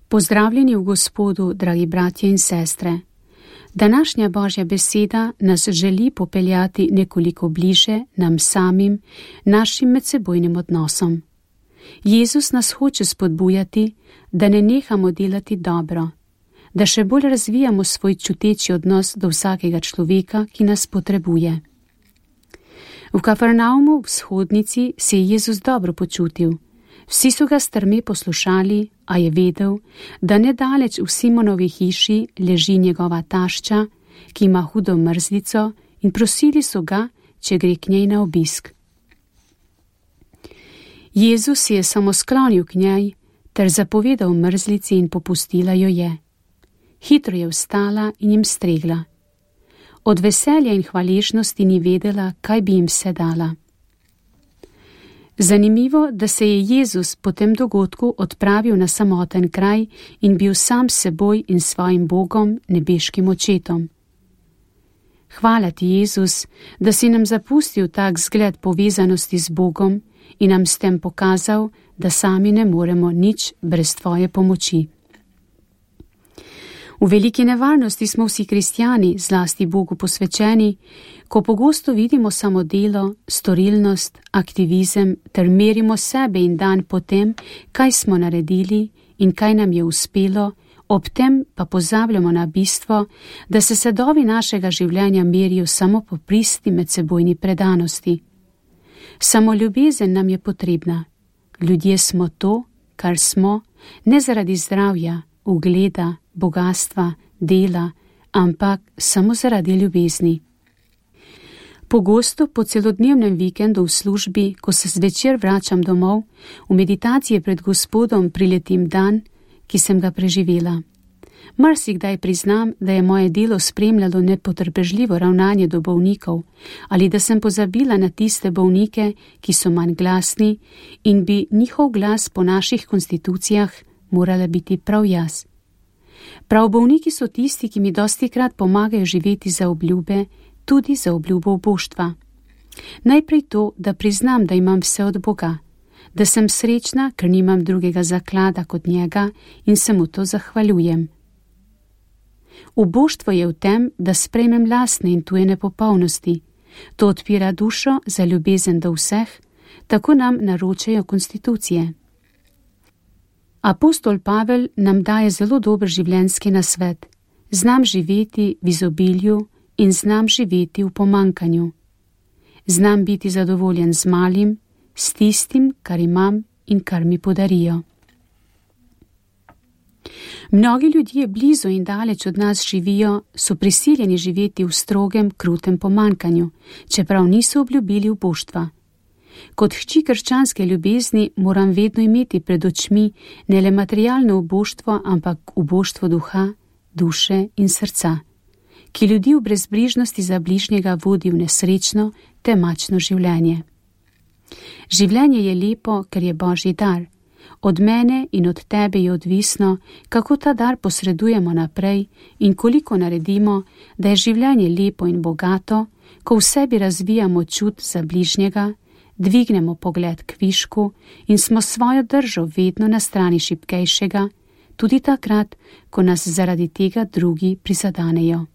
Pozdravljeni v Gospodu, dragi bratje in sestre. Današnja Božja beseda nas želi popeljati nekoliko bliže nam samim, našim medsebojnim odnosom. Jezus nas hoče spodbujati, da ne nehamo delati dobro, da še bolj razvijamo svoj čuteči odnos do vsakega človeka, ki nas potrebuje. V Kafarnaumu v vzhodnici se je Jezus dobro počutil. Vsi so ga strme poslušali, a je vedel, da nedaleč v Simonovi hiši leži njegova tašča, ki ima hudo mrzlico, in prosili so ga, če gre k njej na obisk. Jezus se je samo sklonil k njej ter zapovedal mrzlici in popustila jo je. Hitro je vstala in jim stregla. Od veselja in hvaležnosti ni vedela, kaj bi jim vse dala. Zanimivo, da se je Jezus po tem dogodku odpravil na samoten kraj in bil sam s seboj in svojim Bogom, nebeškim očetom. Hvala ti, Jezus, da si nam zapustil tak zgled povezanosti z Bogom in nam s tem pokazal, da sami ne moremo nič brez tvoje pomoči. V veliki nevarnosti smo vsi kristjani, zlasti Bogu posvečeni, ko pogosto vidimo samo delo, storilnost, aktivizem ter merimo sebe in dan po tem, kaj smo naredili in kaj nam je uspelo, ob tem pa pozabljamo na bistvo, da se sadovi našega življenja merijo samo po pristi medsebojni predanosti. Samo ljubezen nam je potrebna. Ljudje smo to, kar smo, ne zaradi zdravja, ugleda, bogastva, dela, ampak samo zaradi ljubezni. Pogosto po celodnevnem vikendu v službi, ko se zvečer vračam domov, v meditacije pred Gospodom priletim dan, ki sem ga preživela. Marsikdaj priznam, da je moje delo spremljalo nepotrpežljivo ravnanje do bolnikov ali da sem pozabila na tiste bolnike, ki so manj glasni in bi njihov glas po naših konstitucijah morala biti prav jaz. Prav bolniki so tisti, ki mi dostikrat pomagajo živeti za obljube, tudi za obljubo oboštva. Najprej to, da priznam, da imam vse od Boga, da sem srečna, ker nimam drugega zaklada kot njega in se mu to zahvaljujem. Oboštvo je v tem, da sprejmem lastne in tuje nepopolnosti. To odpira dušo za ljubezen do vseh, tako nam naročajo konstitucije. Apostol Pavel nam daje zelo dober življenjski nasvet. Znam živeti v izobilju in znam živeti v pomanjkanju. Znam biti zadovoljen z malim, s tistim, kar imam in kar mi podarijo. Mnogi ljudje blizu in daleč od nas živijo, so prisiljeni živeti v strogem, krutem pomanjkanju, čeprav niso obljubili uboštva. Kot hči krščanske ljubezni moram vedno imeti pred očmi ne le materialno uboštvo, ampak uboštvo duha, duše in srca, ki ljudi v brezbrižnosti za bližnjega vodi v nesrečno, temačno življenje. Življenje je lepo, ker je Božji dar. Od mene in od tebe je odvisno, kako ta dar posredujemo naprej in koliko naredimo, da je življenje lepo in bogato, ko v sebi razvijamo čut za bližnjega, dvignemo pogled k višku in smo svojo držo vedno na strani šibkejšega, tudi takrat, ko nas zaradi tega drugi prizadanejo.